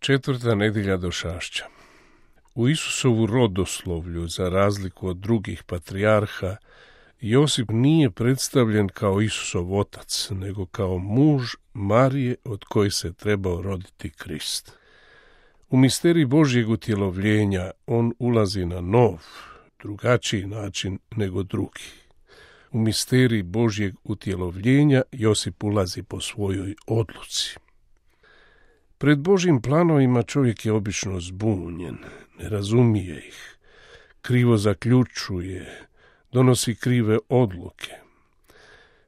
Četvrta nedjelja došašća. U Isusovu rodoslovlju, za razliku od drugih patrijarha, Josip nije predstavljen kao Isusov otac, nego kao muž Marije od koje se trebao roditi Krist. U misterij Božjeg utjelovljenja on ulazi na nov, drugačiji način nego drugi. U misterij Božjeg utjelovljenja Josip ulazi po svojoj odluci. Pred Božjim planovima čovjek je obično zbunjen, ne razumije ih, krivo zaključuje, donosi krive odluke.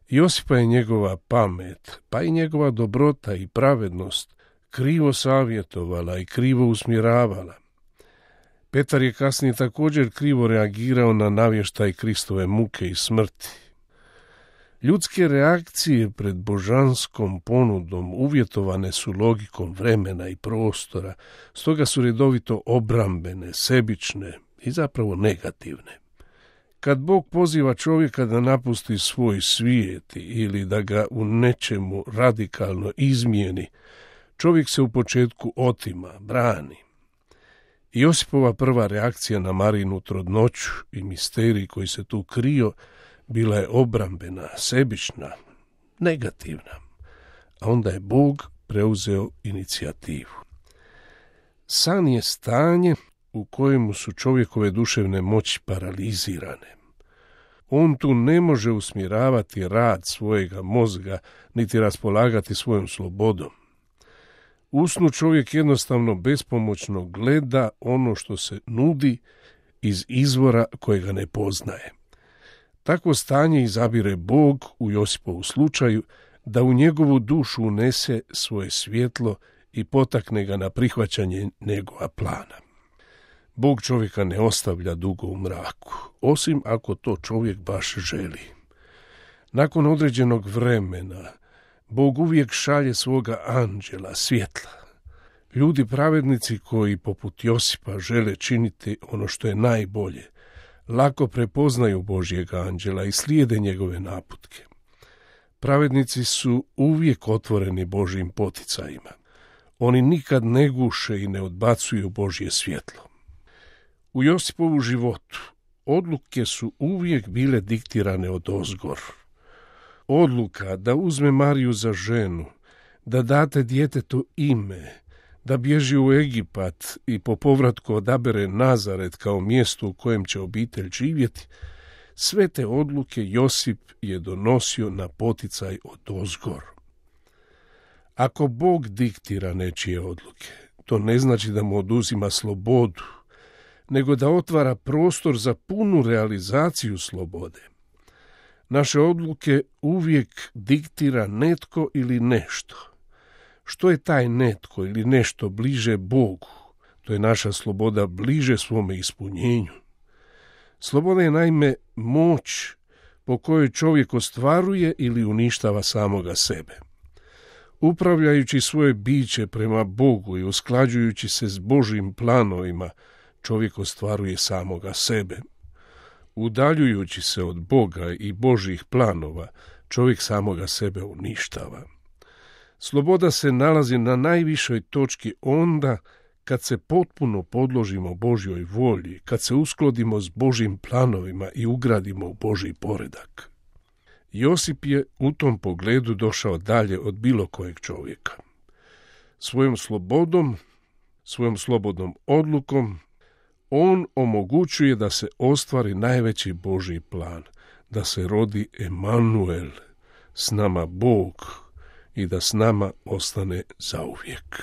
Josipa je njegova pamet, pa i njegova dobrota i pravednost krivo savjetovala i krivo usmjeravala. Petar je kasnije također krivo reagirao na navještaj Kristove muke i smrti. Ljudske reakcije pred božanskom ponudom uvjetovane su logikom vremena i prostora, stoga su redovito obrambene, sebične i zapravo negativne. Kad Bog poziva čovjeka da napusti svoj svijet ili da ga u nečemu radikalno izmijeni, čovjek se u početku otima, brani. Josipova prva reakcija na Marinu trudnoću i misterij koji se tu krio bila je obrambena, sebična, negativna, a onda je Bog preuzeo inicijativu. San je stanje u kojemu su čovjekove duševne moći paralizirane. On tu ne može usmjeravati rad svojega mozga, niti raspolagati svojom slobodom. U snu čovjek jednostavno bespomoćno gleda ono što se nudi iz izvora kojega ne poznaje. Takvo stanje izabire Bog u Josipovu slučaju da u njegovu dušu unese svoje svjetlo i potakne ga na prihvaćanje njegova plana. Bog čovjeka ne ostavlja dugo u mraku, osim ako to čovjek baš želi. Nakon određenog vremena, Bog uvijek šalje svoga anđela, svjetla. Ljudi pravednici koji, poput Josipa, žele činiti ono što je najbolje, lako prepoznaju Božjega anđela i slijede njegove naputke. Pravednici su uvijek otvoreni Božjim poticajima. Oni nikad ne guše i ne odbacuju Božje svjetlo. U Josipovu životu odluke su uvijek bile diktirane odozgor. Odluka da uzme Mariju za ženu, da date djetetu ime, da bježi u Egipat i po povratku odabere Nazaret kao mjesto u kojem će obitelj živjeti, sve te odluke Josip je donosio na poticaj odozgor. Ako Bog diktira nečije odluke, to ne znači da mu oduzima slobodu, nego da otvara prostor za punu realizaciju slobode. Naše odluke uvijek diktira netko ili nešto. Što je taj netko ili nešto bliže Bogu, to je naša sloboda bliže svome ispunjenju. Sloboda je naime moć po kojoj čovjek ostvaruje ili uništava samoga sebe. Upravljajući svoje biće prema Bogu i usklađujući se s Božjim planovima, čovjek ostvaruje samoga sebe. Udaljujući se od Boga i Božjih planova, čovjek samoga sebe uništava. Sloboda se nalazi na najvišoj točki onda kad se potpuno podložimo Božjoj volji, kad se uskladimo s Božjim planovima i ugradimo u Božji poredak. Josip je u tom pogledu došao dalje od bilo kojeg čovjeka. Svojom slobodom, svojom slobodnom odlukom, on omogućuje da se ostvari najveći Božji plan, da se rodi Emanuel, s nama Bog, i da s nama ostane zauvijek.